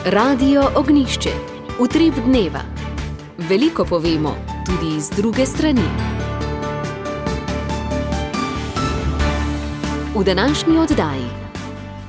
Radio Ognišče, utrip dneva. Veliko povemo, tudi z druge strani. V današnji oddaji.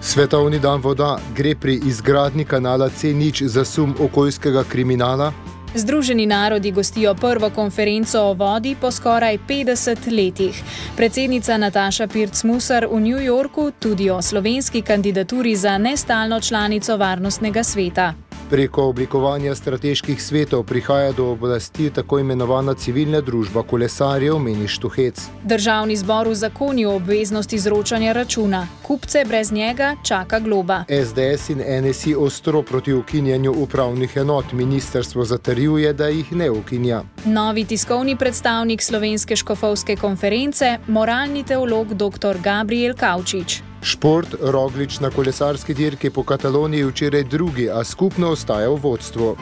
Svetovni dan voda, gre pri izgradnji kanala C0 za sum okoljskega kriminala? Združeni narodi gostijo prvo konferenco o vodi po skoraj 50 letih. Predsednica Nataša Pirc-Musar v New Yorku tudi o slovenski kandidaturi za nestalno članico Varnostnega sveta. Preko oblikovanja strateških svetov prihaja do oblasti tako imenovana civilna družba kolesarjev, meni Štuhec. Državni zbor uzakonil obveznost izročanja računa. Kupce brez njega čaka globa. SDS in NSI ostro proti ukinjanju upravnih enot. Ministrstvo zatrjuje, da jih ne ukinja. Novi tiskovni predstavnik Slovenske škofovske konference, moralni teolog dr. Gabriel Kavčič. Šport, Roglič na kolesarski dirki po Kataloniji včeraj drugi, a skupno ostaja v vodstvu.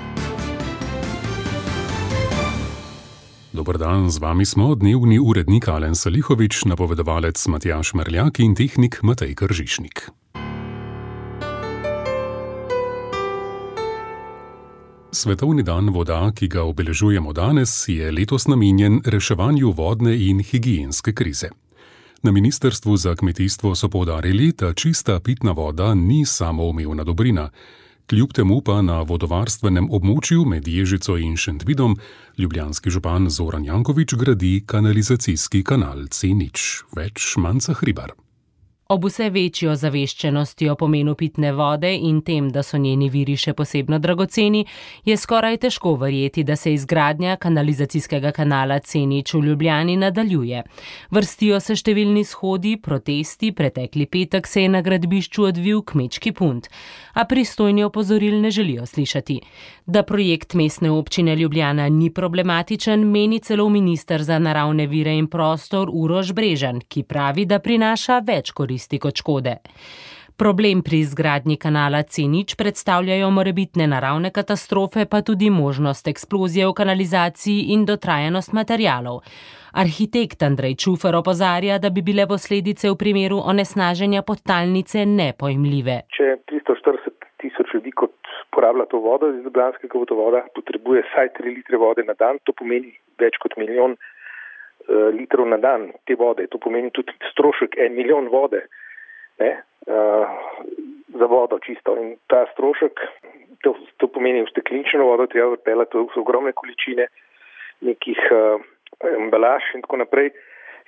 Dober dan, z vami smo dnevni urednik Alen Salihovič, napovedovalec Matjaž Merljak in tehnik Matej Kržišnik. Svetovni dan voda, ki ga obeležujemo danes, je letos namenjen reševanju vodne in higienske krize. Na Ministrstvu za kmetijstvo so poudarili, da čista pitna voda ni samoumevna dobrina. Kljub temu pa na vodovarstvenem območju med Ježico in Šentvidom ljubljanski župan Zoran Janković gradi kanalizacijski kanal C0. Več Manca Hribar. Ob vse večjo zaveščenosti o pomenu pitne vode in tem, da so njeni viri še posebno dragoceni, je skoraj težko verjeti, da se izgradnja kanalizacijskega kanala C0 v Ljubljani nadaljuje. Vrstijo se številni shodi, protesti, pretekli petek se je na gradbišču odvil kmečki punt, a pristojni opozoril ne želijo slišati. Da projekt mestne občine Ljubljana ni problematičen, meni celo minister za naravne vire in prostor Uroš Brežan, ki pravi, da prinaša več koristi kot škode. Problem pri izgradnji kanala C0 predstavljajo morebitne naravne katastrofe, pa tudi možnost eksplozije v kanalizaciji in dotrajanost materialov. Arhitekt Andrej Čufer opozarja, da bi bile posledice v primeru onesnaženja podtalnice nepojmljive. Če 340 tisoč ljudi, kot porablja to vodo iz ljubljanskega vodovoda, potrebuje vsaj 3 litre vode na dan, to pomeni več kot milijon litrov na dan te vode. To pomeni tudi strošek 1 milijon vode, za vodo čisto. In ta strošek, to pomeni ustekleničeno vodo, treba odpeljati, to so ogromne količine nekih embalaž in tako naprej.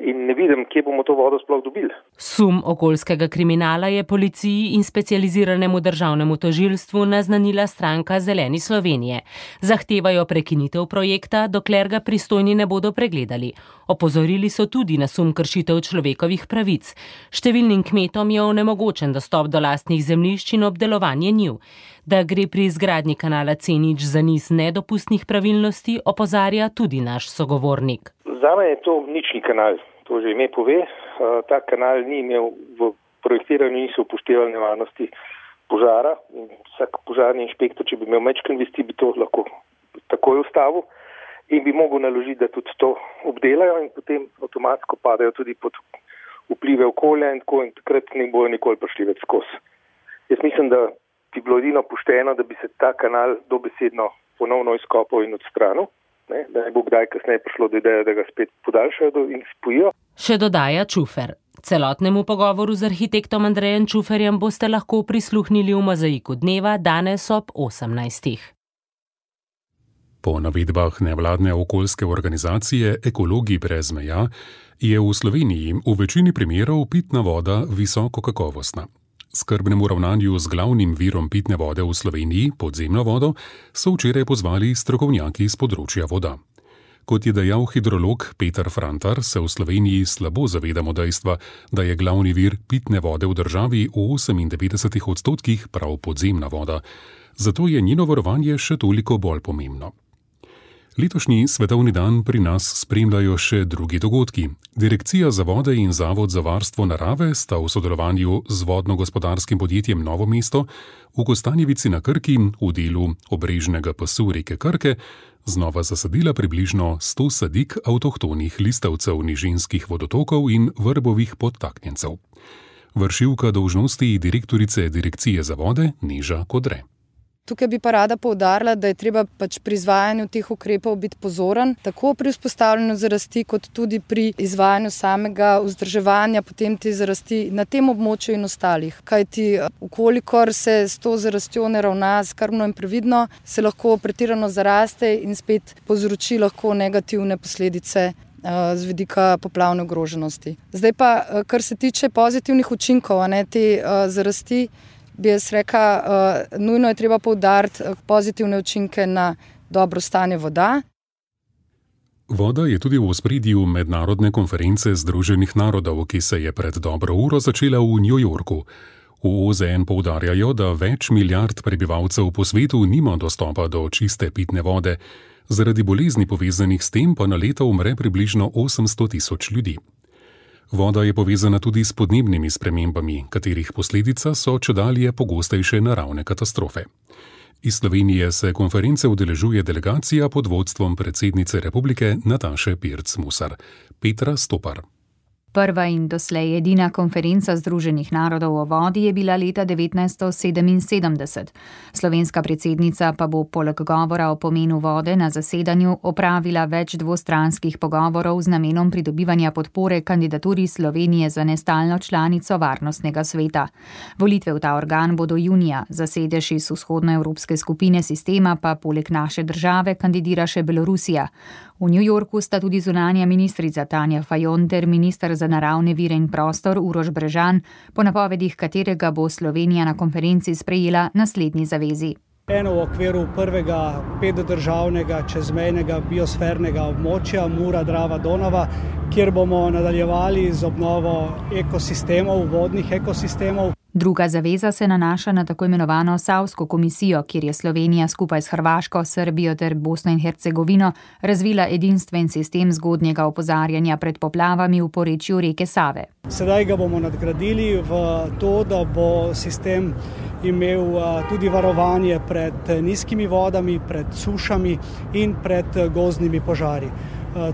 In ne vidim, kje bomo to vodo sploh dobili. Sum okoljskega kriminala je policiji in specializiranemu državnemu tožilstvu naznanila stranka Zeleni Slovenije. Zahtevajo prekinitev projekta, dokler ga pristojni ne bodo pregledali. Opozorili so tudi na sum kršitev človekovih pravic. Številnim kmetom je onemogočen dostop do lastnih zemljišč in obdelovanje njiv. Da gre pri izgradnji kanala C0 za niz nedopustnih pravilnosti, opozarja tudi naš sogovornik. Zame je to nični kanal, to že ime pove. Ta kanal ni imel v projektiranju, niso upoštevali nevarnosti požara. In vsak požarni inšpektor, če bi imel majčken vesti, bi to lahko takoj ustavil in bi mogel naložiti, da tudi to obdelajo in potem avtomatsko padajo tudi pod vplive okolja in tako in takrat ne bojo nikoli prišli več skozi. Jaz mislim, da bi bilo edino pošteno, da bi se ta kanal dobesedno ponovno izkopal in odstranil. Da ne bo kdaj kasneje prišlo do ideje, da ga spet podaljšajo in spojijo. Še dodaja Čufer. Celotnemu pogovoru z arhitektom Andrejem Čuferjem boste lahko prisluhnili v Mozaiku dneva danes ob 18. Po navedbah nevladne okoljske organizacije Ekologi brez meja je v Sloveniji v večini primerov pitna voda visoko kakovostna. Skrbnemu ravnanju z glavnim virom pitne vode v Sloveniji, podzemno vodo, so včeraj pozvali strokovnjaki z področja voda. Kot je dejal hidrolog Peter Frantar, se v Sloveniji slabo zavedamo dejstva, da je glavni vir pitne vode v državi v 98% prav podzemna voda. Zato je njeno varovanje še toliko bolj pomembno. Letošnji svetovni dan pri nas spremljajo še drugi dogodki. Direkcija za vode in Zavod za varstvo narave sta v sodelovanju z vodno-gospodarskim podjetjem Novo mesto v Kostanjevici na Krki v delu obrežnega pasu reke Krke znova zasadila približno 100 sadik avtohtonih listavcev nižinskih vodotokov in vrbovih podtaknjencev. Vršilka dolžnosti direktorice Direkcije za vode Neža Kodre. Tukaj bi pa rada poudarila, da je treba pri izvajanju teh ukrepov biti pozoren, tako pri vzpostavljanju zarasti, kot tudi pri izvajanju samega vzdrževanja potem te zarasti na tem območju in ostalih. Kajti, ukolikor se s to zarastjo ne ravna skrbno in previdno, se lahko pretirano zaraste in spet povzroči lahko negativne posledice z vidika poplavne ogroženosti. Zdaj pa, kar se tiče pozitivnih učinkov te zarasti, bi jaz rekla, nujno je treba poudariti pozitivne učinke na dobro stanje voda. Voda je tudi v ospredju mednarodne konference Združenih narodov, ki se je pred dobro uro začela v New Yorku. V OZN poudarjajo, da več milijard prebivalcev po svetu nima dostopa do čiste pitne vode, zaradi bolezni povezanih s tem pa na leto umre približno 800.000 ljudi. Voda je povezana tudi s podnebnimi spremembami, katerih posledica so čedalje pogostejše naravne katastrofe. Iz Slovenije se konference udeležuje delegacija pod vodstvom predsednice republike Nataše Pirc Musar. Petra Stopar. Prva in doslej edina konferenca Združenih narodov o vodi je bila leta 1977. Slovenska predsednica pa bo poleg govora o pomenu vode na zasedanju opravila več dvostranskih pogovorov z namenom pridobivanja podpore kandidaturi Slovenije za nestalno članico Varnostnega sveta. Volitve v ta organ bodo junija, za sedež iz vzhodnoevropske skupine sistema pa poleg naše države kandidira še Belorusija. V New Yorku sta tudi zunanja ministrica Tanja Fajon ter minister za naravne vire in prostor Uroš Brežan, po napovedih katerega bo Slovenija na konferenci sprejela naslednji zavezi. Eno v okviru prvega 5-državnega čezmejnega biosfernega območja Mura-Drava-Donava, kjer bomo nadaljevali z obnovo ekosistemov, vodnih ekosistemov. Druga zaveza se nanaša na tako imenovano Savsko komisijo, kjer je Slovenija skupaj s Hrvaško, Srbijo ter Bosno in Hercegovino razvila edinstven sistem zgodnjega opozarjanja pred poplavami v porečju reke Save. Sedaj ga bomo nadgradili v to, da bo sistem imel tudi varovanje pred nizkimi vodami, pred sušami in pred gozdnimi požari.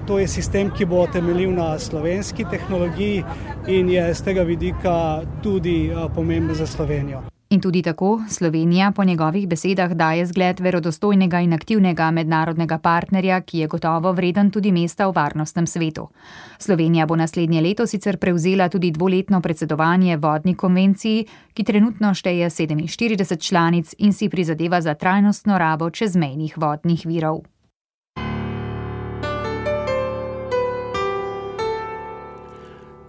To je sistem, ki bo temeljil na slovenski tehnologiji in je z tega vidika tudi pomemben za Slovenijo. In tudi tako Slovenija po njegovih besedah daje zgled verodostojnega in aktivnega mednarodnega partnerja, ki je gotovo vreden tudi mesta v varnostnem svetu. Slovenija bo naslednje leto sicer prevzela tudi dvoletno predsedovanje vodni konvenciji, ki trenutno šteje 47 članic in si prizadeva za trajnostno rabo čezmejnih vodnih virov.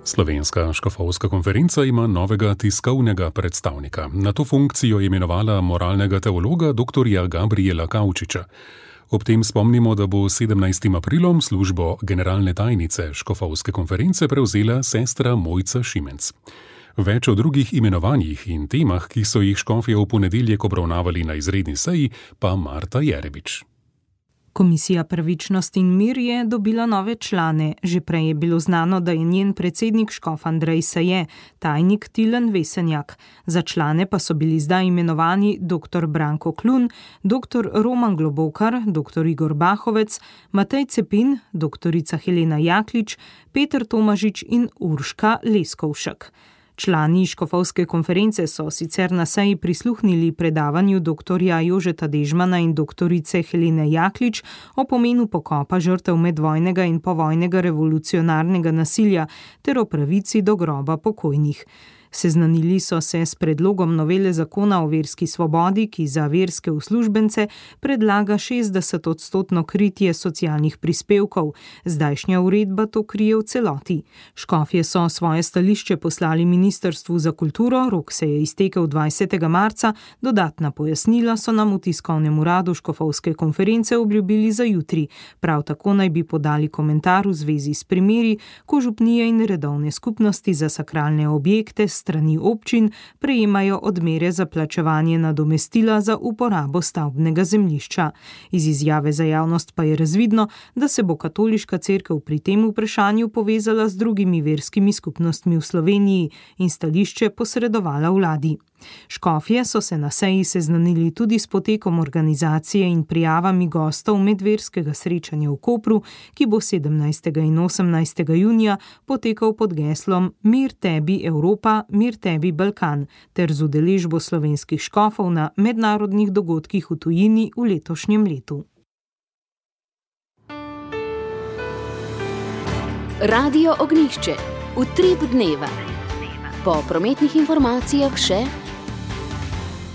Slovenska škofovska konferenca ima novega tiskovnega predstavnika. Na to funkcijo je imenovala moralnega teologa dr. Gabriela Kavčiča. Ob tem spomnimo, da bo 17. aprilom službo generalne tajnice škofovske konference prevzela sestra Mojca Šimenc. Več o drugih imenovanjih in temah, ki so jih škofje v ponedeljek obravnavali na izredni seji, pa Marta Jerebič. Komisija Pravičnost in mir je dobila nove člane. Že prej je bilo znano, da je njen predsednik škof Andrej Saje, tajnik Tilen Vesenjak. Za člane pa so bili zdaj imenovani dr. Branko Klun, dr. Roman Globokar, dr. Igor Bahovec, Matej Cepin, dr. Helena Jaklič, Peter Tomažič in Urška Leskovšek. Člani škofovske konference so sicer na seji prisluhnili predavanju dr. Jožeta Dežmana in dr. Helene Jaklič o pomenu pokopa žrtev medvojnega in povojnega revolucionarnega nasilja ter o pravici do groba pokojnih. Seznanili so se s predlogom novele zakona o verski svobodi, ki za verske uslužbence predlaga 60% kritje socialnih prispevkov. Zdajšnja uredba to krije v celoti. Škofje so svoje stališče poslali Ministrstvu za kulturo, rok se je iztekel 20. marca, dodatna pojasnila so nam v tiskovnem uradu škofovske konference obljubili za jutri. Prav tako naj bi podali komentar v zvezi s primeri, ko župnije in redovne skupnosti za sakralne objekte strani občin prejemajo odmere za plačevanje nadomestila za uporabo stavbnega zemljišča. Iz izjave za javnost pa je razvidno, da se bo katoliška cerkev pri tem vprašanju povezala z drugimi verskimi skupnostmi v Sloveniji in stališče posredovala vladi. Škofje so se na seji seznanili tudi s potekom organizacije in prijavami gostov medverskega srečanja v Kopru, ki bo 17. in 18. junija potekal pod geslom Mir tebi Evropa, mir tebi Balkan, ter z udeležbo slovenskih škofov na mednarodnih dogodkih v tujini v letošnjem letu. Radio Ognjišče. Utrip dneva. Po prometnih informacijah še: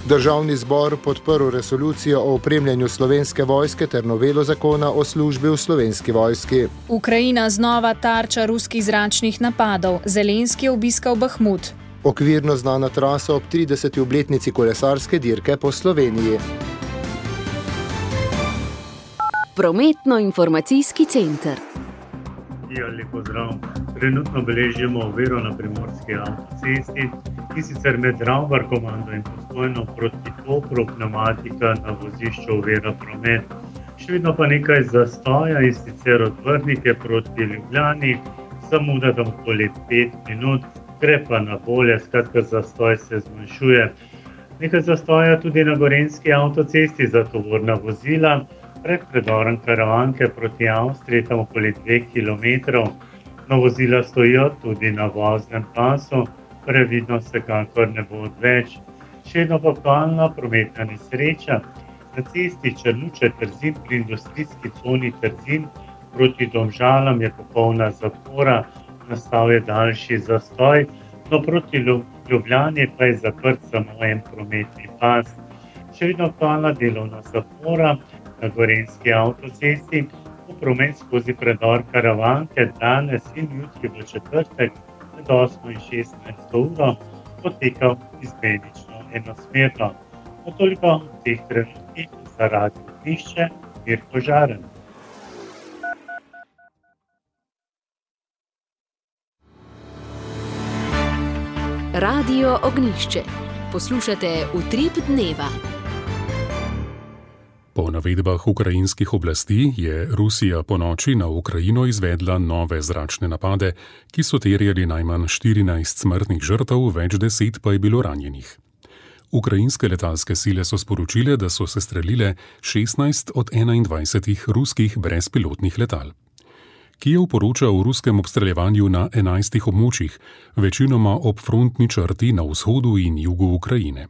Državni zbor podprl resolucijo o opremljanju Slovenske vojske ter novelo zakona o službi v Slovenski vojski. Ukrajina znova tarča ruskih zračnih napadov. Zelenski je obiskal Bahmut. Okvirno znana trasa ob 30. obletnici kolesarske dirke po Sloveniji. Prometno-informacijski center. Lep pozdrav. Trenutno beležimo oviro na primorski avtocesti, in sicer med Ravbar-komando in Postojno proti Kopru, pneumatika na vozišču ovira promet. Še vedno pa nekaj zastoja, in sicer od Vrhnike proti Ljubljani, zamuda tam okoli 5 minut, gre pa na bolje, skratka zastoj se zmanjšuje. Nekaj zastoja tudi na gorenjski avtocesti za tovorna vozila, pred predorom Karavanke proti Avstriji, tam okoli 2 km. No, vozila stojijo tudi na voznem pasu, previdnost vsekakor ne bo odveč. Še vedno pa aktualna prometna nesreča na cesti Črnuče-Trzin pri industrijski coni Trzin proti Domžalam je popolna zapora, nastal je daljši zastoj, no proti Ljubljani pa je zaprt samo en prometni pas. Še vedno aktualna delovna zapora na gorenjski avtocesti, v promet skozi predor Karavanke danes in jutri v četrtek med 8 in 16 uro potekal izmenično enosmerno. Toliko v teh trenutkih za Radio Ognjišče, Mirko Žaren. Radio Ognjišče. Poslušate Utrip dneva. Po navedbah ukrajinskih oblasti je Rusija ponoči na Ukrajino izvedla nove zračne napade, ki so terjali najmanj 14 smrtnih žrtev, več 10 pa je bilo ranjenih. Ukrajinske letalske sile so sporočile, da so sestrelile 16 od 21 ruskih brezpilotnih letal. Kijev poroča o ruskem obstreljevanju na 11 območjih, večinoma ob frontni črti na vzhodu in jugu Ukrajine.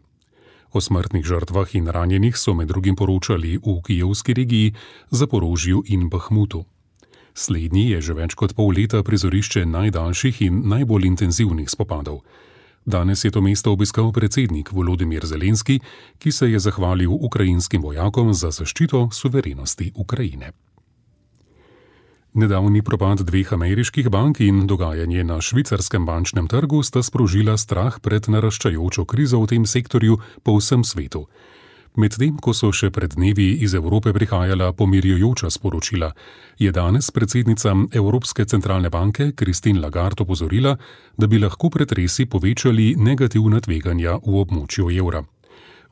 O smrtnih žrtvah in ranjenih so med drugim poročali v kijevski regiji, Zaporožju in Bahmutu. Slednji je že več kot pol leta prizorišče najdaljših in najbolj intenzivnih spopadov. Danes je to mesto obiskal predsednik Volodymyr Zelenski, ki se je zahvalil ukrajinskim vojakom za zaščito suverenosti Ukrajine. Nedavni propad 2 ameriških bank in dogajanje na švicarskem bančnem trgu sta sprožila strah pred naraščajočo krizo v tem sektorju po vsem svetu. Medtem, ko so še pred dnevi iz Evrope prihajala pomirjujoča sporočila, je danes predsednica Evropske centralne banke Christine Lagarde opozorila, da bi lahko pretresi povečali negativna tveganja v območju evra.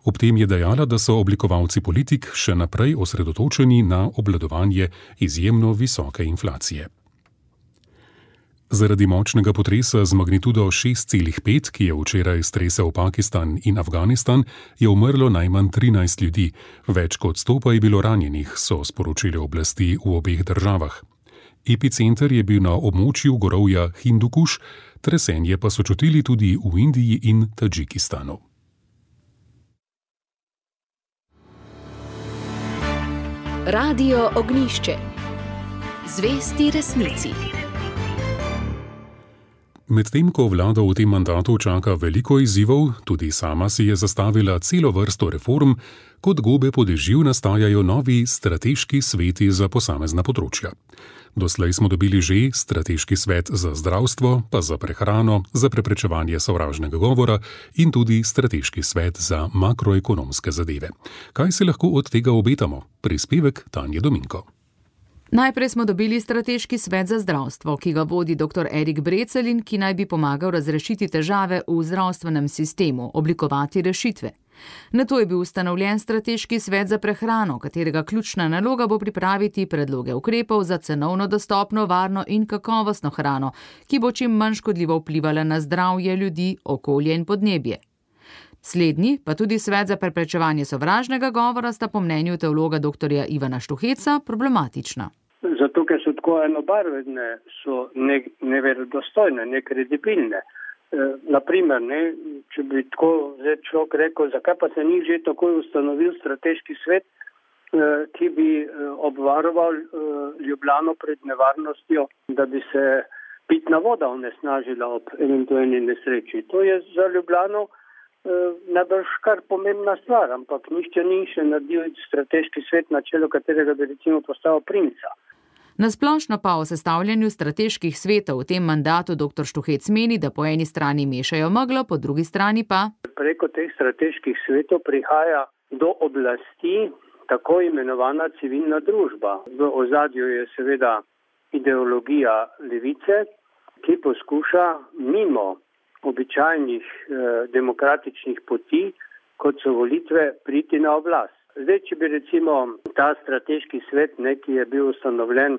Ob tem je dejala, da so oblikovalci politik še naprej osredotočeni na obvladovanje izjemno visoke inflacije. Zaradi močnega potresa z magnitudo 6,5, ki je včeraj stresel Pakistan in Afganistan, je umrlo najmanj 13 ljudi, več kot 100 pa je bilo ranjenih, so sporočile oblasti v obeh državah. Epicenter je bil na območju gorovja Hindukuš, tresenje pa so čutili tudi v Indiji in Tadžikistanu. Radio Ognjišče. Zvesti resnici. Medtem ko vlada v tem mandatu čaka veliko izzivov, tudi sama si je zastavila celo vrsto reform, kot gobe po dežju nastajajo novi strateški sveti za posamezna področja. Doslej smo dobili že strateški svet za zdravstvo, pa za prehrano, za preprečevanje sovražnega govora in tudi strateški svet za makroekonomske zadeve. Kaj se lahko od tega obetamo? Prispevek Tanje Dominko. Najprej smo dobili strateški svet za zdravstvo, ki ga vodi dr. Erik Brecelj in ki naj bi pomagal razrešiti težave v zdravstvenem sistemu, oblikovati rešitve. Nato je bil ustanovljen strateški svet za prehrano, katerega ključna naloga bo pripraviti predloge ukrepov za cenovno dostopno, varno in kakovostno hrano, ki bo čim manj škodljivo vplivala na zdravje ljudi, okolje in podnebje. Slednji, pa tudi Svet za preprečevanje sovražnega govora, sta po mnenju teologa dr. Ivana Štuheca problematična. Zato, ker so tako enobarvne, so neverodostojne, nekredibilne. Naprimer, če bi tako človek rekel, zakaj pa se ni že takoj ustanovil strateški svet, ki bi obvaroval Ljubljano pred nevarnostjo, da bi se pitna voda onesnažila ob eventualni nesreči. To je za Ljubljano najbrž kar pomembna stvar, ampak nišče ni še naredil strateški svet, na čelu katerega bi recimo postavil princa. Nasplošno pa o sestavljanju strateških svetov v tem mandatu dr. Štuhec meni, da po eni strani mešajo meglo, po drugi strani pa preko teh strateških svetov prihaja do oblasti tako imenovana civilna družba. V ozadju je seveda ideologija levice, ki poskuša mimo običajnih demokratičnih poti, kot so volitve, priti na oblast. Zdaj, če bi recimo ta strateški svet, ki je bil ustanovljen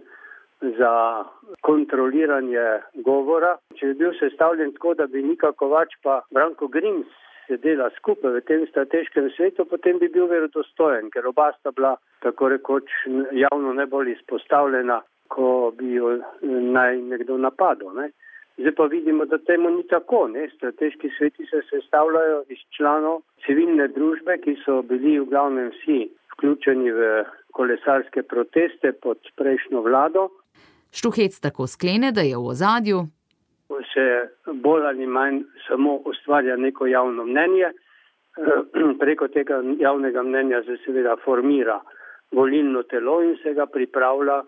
za kontroliranje govora, če bi bil sestavljen tako, da bi Nika Kovač pa Branko Grims sedela skupaj v tem strateškem svetu, potem bi bil verodostojen, ker oba sta bila tako rekoč javno najbolj izpostavljena, ko bi jo naj nekdo napadel. Zdaj pa vidimo, da temu ni tako. Strateški sveti se sestavljajo iz članov civilne družbe, ki so bili v glavnem vsi vključeni v kolesarske proteste pod prejšnjo vlado. Štuhec tako sklene, da je v ozadju se bolj ali manj samo ustvarja neko javno mnenje. Preko tega javnega mnenja se seveda formira volilno telo in se ga pripravlja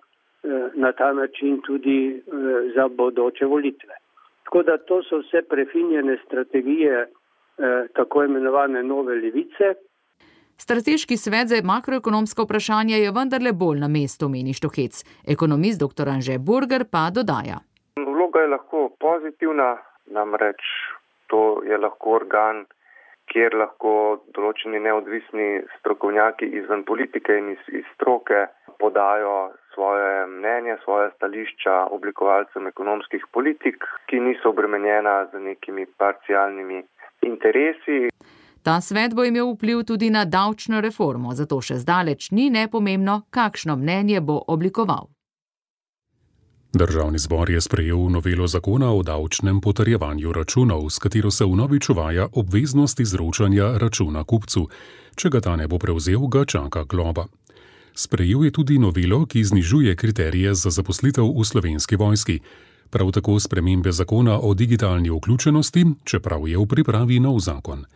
na ta način tudi za bodoče volitve. Tako da to so vse prefinjene strategije tako imenovane nove levice. Strateški svet za makroekonomska vprašanja je vendarle bolj na mestu, meni Štuhec. Ekonomist dr. Anže Burger pa dodaja. Vloga je lahko pozitivna, namreč to je lahko organ, kjer lahko določeni neodvisni strokovnjaki izven politike in iz stroke podajo svoje mnenje, svoje stališča oblikovalcem ekonomskih politik, ki niso obremenjena z nekimi parcialnimi interesi. Ta svet bo imel vpliv tudi na davčno reformo, zato še zdaleč ni nepomembno, kakšno mnenje bo oblikoval. Državni zbor je sprejel novelo zakona o davčnem potrjevanju računov, s katero se vnovič uvaja obveznost izročanja računa kupcu. Če ga ta ne bo prevzel, ga čaka globa. Sprejel je tudi novelo, ki znižuje kriterije za zaposlitev v Slovenski vojski. Prav tako spremembe zakona o digitalni vključenosti, čeprav je v pripravi nov zakon.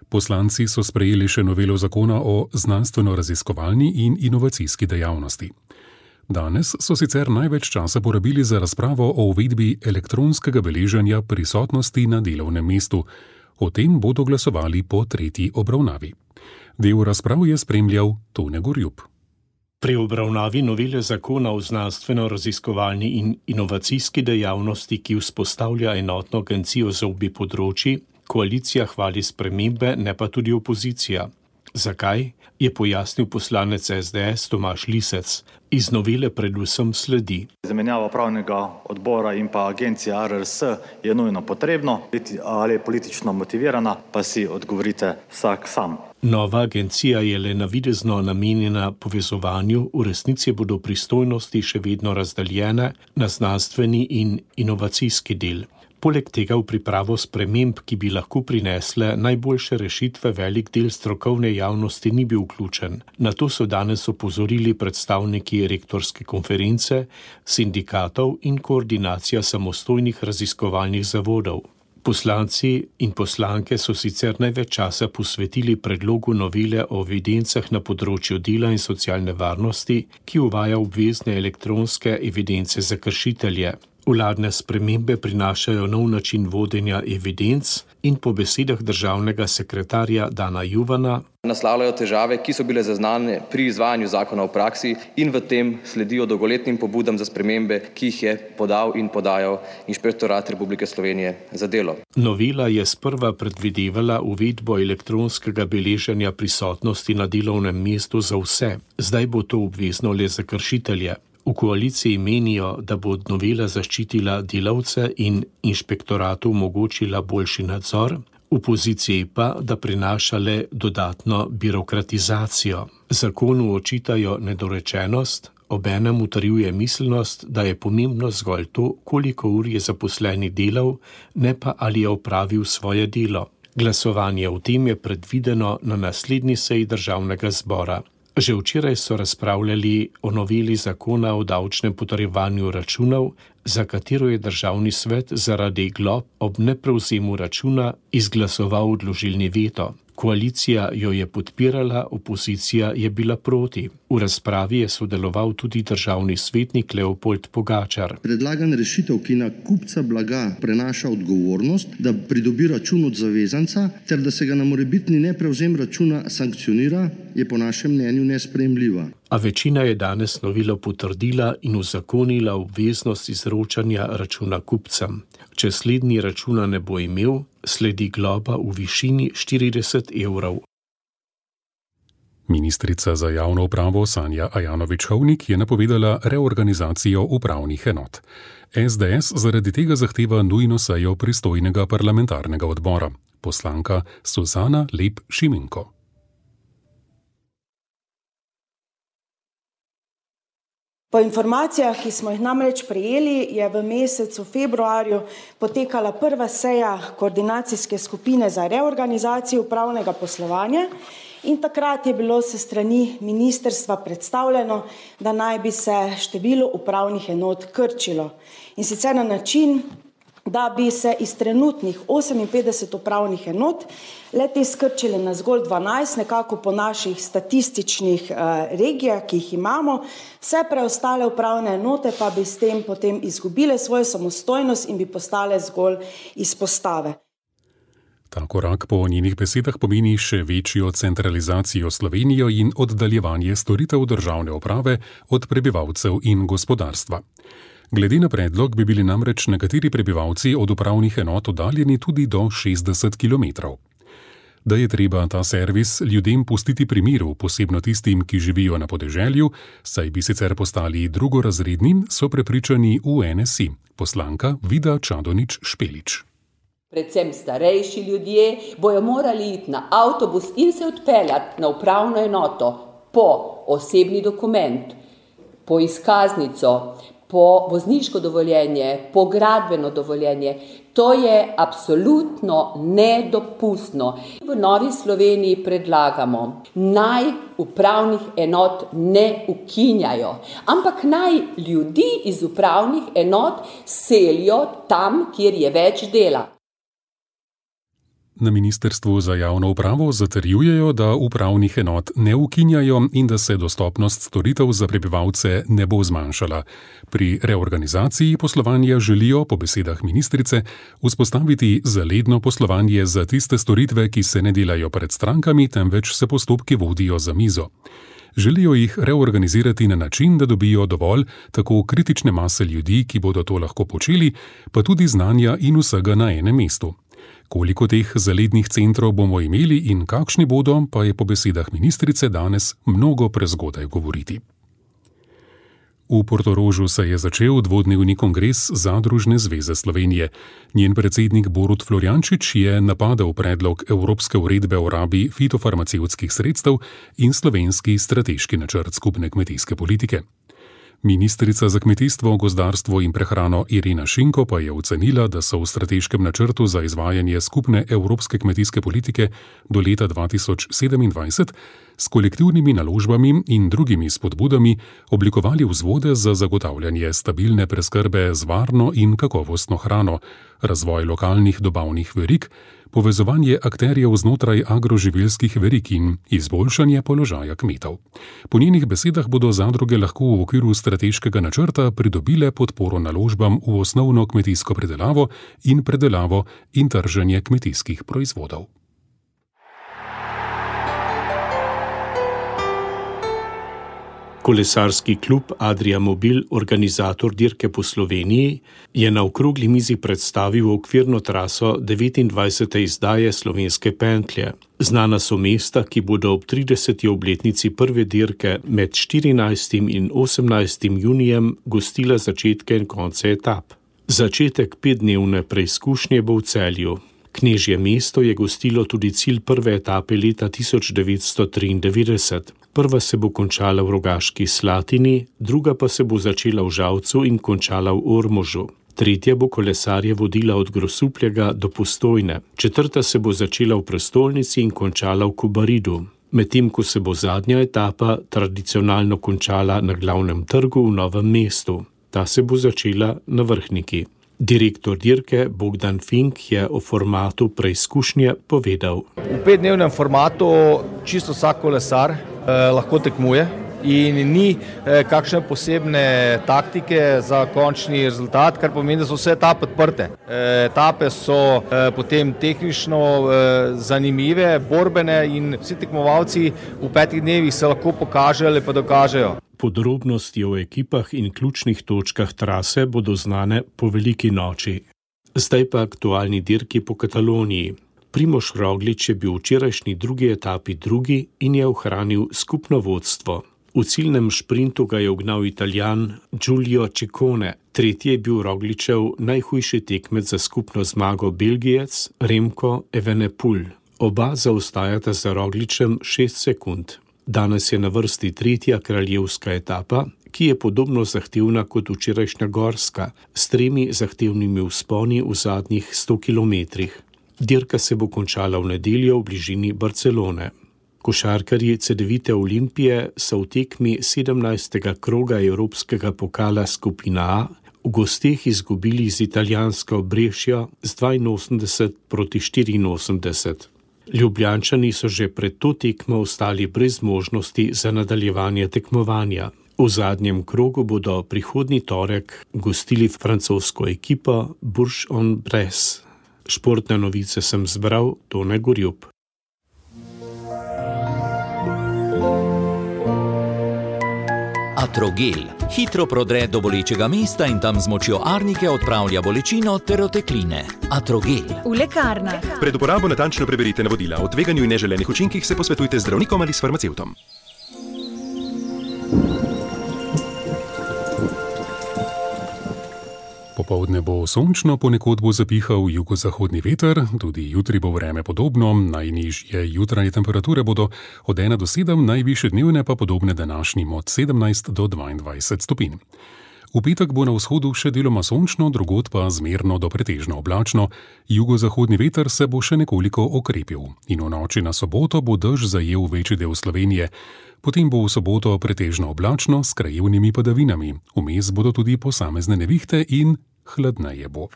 Poslanci so sprejeli še novelo zakona o znanstveno-raziskovalni in inovacijski dejavnosti. Danes so sicer največ časa porabili za razpravo o uvedbi elektronskega beleženja prisotnosti na delovnem mestu. O tem bodo glasovali po tretji obravnavi. Del razprav je spremljal Tone Gorjup. Pri obravnavi novele zakona o znanstveno-raziskovalni in inovacijski dejavnosti, ki vzpostavlja enotno agencijo za obe področji, koalicija hvali spremembe, ne pa tudi opozicija. Zakaj? Je pojasnil poslanec SDS Tomaž Lisec. Iz novele predvsem sledi. Zamenjava upravnega odbora in pa agencija ARS je nujno potrebno, ali je politično motivirana, pa si odgovorite vsak sam. Nova agencija je le navidezno namenjena povezovanju, v resnici bodo pristojnosti še vedno razdeljene na znanstveni in inovacijski del. Poleg tega v pripravo sprememb, ki bi lahko prinesle najboljše rešitve, velik del strokovne javnosti ni bil vključen. Na to so danes opozorili predstavniki rektorske konference, sindikatov in koordinacija samostojnih raziskovalnih zavodov. Poslanci in poslanke so sicer največ časa posvetili predlogu novele o evidencah na področju dela in socialne varnosti, ki uvaja obvezne elektronske evidence za kršitelje. Vladne spremembe prinašajo nov način vodenja evidenc in po besedah državnega sekretarja Dana Juvana naslavljajo težave, ki so bile zaznane pri izvajanju zakona v praksi in v tem sledijo dolgoletnim pobudam za spremembe, ki jih je podal in podajal Inšpektorat Republike Slovenije za delo. Novela je sprva predvidevala uvedbo elektronskega beleženja prisotnosti na delovnem mestu za vse. Zdaj bo to obvezno le za kršitelje. V koaliciji menijo, da bo novela zaščitila delavce in inšpektoratu omogočila boljši nadzor. Opoziciji pa, da prinaša le dodatno birokratizacijo. Zakonu očitajo nedorečenost, obenem utrjuje miselnost, da je pomembno zgolj to, koliko ur je zaposleni delal, ne pa ali je opravil svoje delo. Glasovanje o tem je predvideno na naslednji seji Državnega zbora. Že včeraj so razpravljali o noveli zakona o davčnem potrjevanju računov, za katero je Državni svet zaradi glob ob neprevzemu računa izglasoval odložilni veto. Koalicija jo je podpirala, opozicija je bila proti. V razpravi je sodeloval tudi državni svetnik Leopold Pogačar. Predlagana rešitev, ki na kupca blaga prenaša odgovornost, da pridobi račun od zavezanca, ter da se ga na morebitni neprevzem računa sankcionira, je po našem mnenju nesprejemljiva. A večina je danes novelo potrdila in uzakonila obveznost izročanja računa kupcem. Če slednji računa ne bo imel, sledi globa v višini 40 evrov. Ministrica za javno upravo Sanja Ajanović-Hovnik je napovedala reorganizacijo upravnih enot. SDS zaradi tega zahteva nujno sejo pristojnega parlamentarnega odbora. Poslanka Suzana Lep-Šimenko. Po informacijah, ki smo jih namreč prejeli, je v mesecu februarju potekala prva seja koordinacijske skupine za reorganizacijo upravnega poslovanja in takrat je bilo se strani ministrstva predstavljeno, da naj bi se število upravnih enot krčilo. In sicer na način, da bi se iz trenutnih 58 upravnih enot le-te skrčile na zgolj 12, nekako po naših statističnih regijah, ki jih imamo, vse preostale upravne enote pa bi s tem potem izgubile svojo samostojnost in bi postale zgolj izpostave. Ta korak po njenih besedah pomeni še večjo centralizacijo Slovenije in oddaljevanje storitev državne uprave od prebivalcev in gospodarstva. Glede na predlog bi bili namreč nekateri prebivalci od upravnih enot oddaljeni tudi do 60 km. Da je treba ta servis ljudem pustiti pri miru, posebno tistim, ki živijo na podeželju, saj bi sicer postali drugorazredni, so prepričani v NSI. Poslanka Vida Čadonič-Špelič. Predvsem starejši ljudje bojo morali iti na avtobus in se odpeljati na upravno enoto po osebni dokument, po izkaznico, po vozniško dovoljenje, po gradbeno dovoljenje. To je absolutno nedopustno. V Novi Sloveniji predlagamo, naj upravnih enot ne ukinjajo, ampak naj ljudi iz upravnih enot selijo tam, kjer je več dela. Na Ministrstvu za javno upravo zatrjujejo, da upravnih enot ne ukinjajo in da se dostopnost storitev za prebivalce ne bo zmanjšala. Pri reorganizaciji poslovanja želijo, po besedah ministrice, vzpostaviti zaledno poslovanje za tiste storitve, ki se ne delajo pred strankami, temveč se postopki vodijo za mizo. Želijo jih reorganizirati na način, da dobijo dovolj tako kritične mase ljudi, ki bodo to lahko počeli, pa tudi znanja in vsega na enem mestu. Koliko teh zalednih centrov bomo imeli in kakšni bodo, pa je po besedah ministrice danes mnogo prezgodaj govoriti. V Portorožu se je začel dvodnevni kongres Zadružne zveze Slovenije. Njen predsednik Borut Florjančič je napadal predlog Evropske uredbe o rabi fitofarmacevtskih sredstev in slovenski strateški načrt skupne kmetijske politike. Ministrica za kmetijstvo, gozdarstvo in prehrano Irena Šinko pa je ocenila, da so v strateškem načrtu za izvajanje skupne evropske kmetijske politike do leta 2027 s kolektivnimi naložbami in drugimi spodbudami oblikovali vzvode za zagotavljanje stabilne preskrbe z varno in kakovostno hrano, razvoj lokalnih dobavnih verig, povezovanje akterjev znotraj agroživilskih verig in izboljšanje položaja kmetov. Po njenih besedah bodo zadruge lahko v okviru strateškega načrta pridobile podporo naložbam v osnovno kmetijsko predelavo in trženje kmetijskih proizvodov. Kolesarski klub Adria Mobil, organizator dirke po Sloveniji, je na okrogli mizi predstavil okvirno traso 29. izdaje slovenske pentlje. Znana so mesta, ki bodo ob 30. obletnici prve dirke med 14. in 18. junijem gostila začetke in konce etap. Začetek 5-dnevne preizkušnje bo v Celju. Knežje mesto je gostilo tudi cilj prve etape leta 1993. Prva se bo končala v Rogaški Slatini, druga pa se bo začela v Žalcu in končala v Ormožu. Tretja bo kolesarje vodila od Grosupljega do Postojne. Četrta se bo začela v prestolnici in končala v Kobaridu. Medtem ko se bo zadnja etapa tradicionalno končala na glavnem trgu v Novem mestu. Ta se bo začela na Vrhniki. Direktor dirke Bogdan Fink je o formatu preizkušnje povedal. V 5-dnevnem formatu čisto vsak kolesar lahko tekmuje in ni kakšne posebne taktike za končni rezultat, kar pomeni, da so vse etape odprte. Etape so potem tehnično zanimive, borbene in vsi tekmovalci v 5 dnevih se lahko pokažejo ali pa dokažejo. Podrobnosti o ekipah in ključnih točkah trase bodo znane po veliki noči. Zdaj pa aktualni dirki po Kataloniji. Primož Roglič je bil v včerajšnji drugi etapi drugi in je ohranil skupno vodstvo. V ciljnem šprintu ga je ugnal Italijan Giulio Ciccone. Tretji je bil Rogličev najhujši tekmec za skupno zmago Belgijec Remco Evenepoel. Oba zaostajata za Rogličem 6 sekund. Danes je na vrsti tretja kraljevska etapa, ki je podobno zahtevna kot včerajšnja gorska, s 3 zahtevnimi vzponi v zadnjih 100 kilometrih. Dirka se bo končala v nedeljo v bližini Barcelone. Košarkarji Cedevite Olimpije so v tekmi 17. kroga Evropskega pokala skupina A v gosteh izgubili z italijansko Brescio z 82-84. Ljubljančani so že pred to tekmo ostali brez možnosti za nadaljevanje tekmovanja. V zadnjem krogu bodo prihodnji torek gostili francosko ekipo Bourg-en-Bresse. Športne novice sem zbral, Tone Gorjup. Atrogel hitro prodre do bolečega mesta in tam z močjo arnike odpravlja bolečino ter otekline. Atrogel. V lekarnah. Pred uporabo natančno preberite navodila. O tveganju in neželenih učinkih se posvetujte z zdravnikom ali s farmacevtom. Popoldne bo sončno, ponekod bo zapihal jugozahodni veter, tudi jutri bo vreme podobno, najnižje jutranje temperature bodo od 1 do 7, najvišje dnevne pa podobne današnjim od 17 do 22 stopinj. V petek bo na vzhodu še deloma sončno, drugod pa zmerno do pretežno oblačno, jugozahodni veter se bo še nekoliko okrepil in v noči na soboto bo dež zajel večji del Slovenije. Potem bo v soboto pretežno oblačno s krajevnimi padavinami, vmes bodo tudi posamezne nevihte in hladneje bo.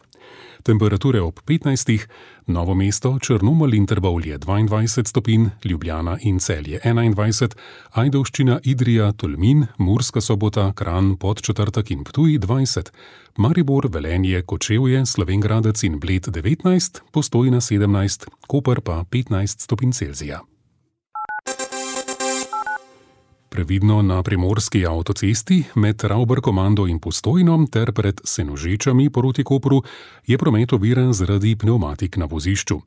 Temperature ob 15, Novo mesto, Črnomelj in Trbovlje 22 stopinj, Ljubljana in Celje 21, Ajdovščina, Idrija, Tolmin, Murska Sobota, Kranj, Podčetrtek in Ptuj 20, Maribor, Velenje, Kočevje, Slovenj Gradec in Bled 19, Postojna 17, Koper pa 15 stopinj Celzija. Previdno na primorski avtocesti med Ravbarkomando in Postojno ter pred Senožečami proti Kopru je promet oviran zaradi pnevmatik na vozišču.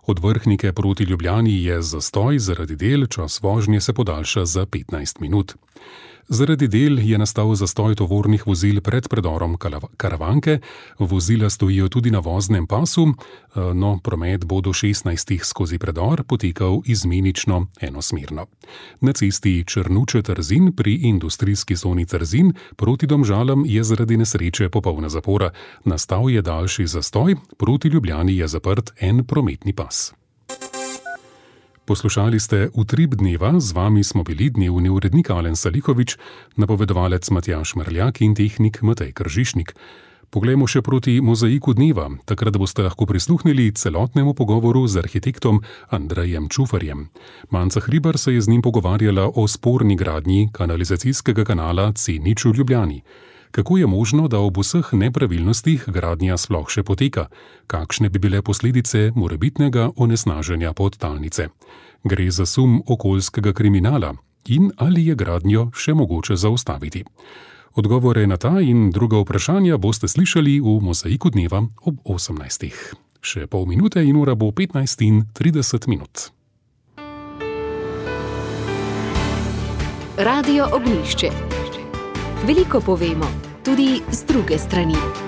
Od Vrhnike proti Ljubljani je zastoj zaradi del, čas vožnje se podaljša za 15 minut. Zaradi del je nastal zastoj tovornih vozil pred predorom Karavanke, vozila stojijo tudi na voznem pasu, no promet bo do 16 skozi predor potekal izmenično enosmerno. Na cesti Črnuče-Trzin pri industrijski zoni Trzin proti Domžalam je zaradi nesreče popolna zapora, nastal je daljši zastoj, proti Ljubljani je zaprt en prometni pas. Poslušali ste Utrip dneva, z vami smo bili dnevni urednik Alen Salihovič, napovedovalec Matjaž Merljak in tehnik Matej Kržišnik. Poglejmo še proti mozaiku dneva, takrat boste lahko prisluhnili celotnemu pogovoru z arhitektom Andrejem Čufarjem. Manca Hribar se je z njim pogovarjala o sporni gradnji kanalizacijskega kanala C0 v Ljubljani. Kako je možno, da ob vseh nepravilnostih gradnja sploh še poteka? Kakšne bi bile posledice morebitnega onesnaženja podtalnice? Gre za sum okoljskega kriminala in ali je gradnjo še mogoče zaustaviti? Odgovore na ta in druga vprašanja boste slišali v mozaiku dneva ob 18. Še pol minute in ura bo 15:30 minut. Radio Ognjišče. Veliko povemo, tudi z druge strani.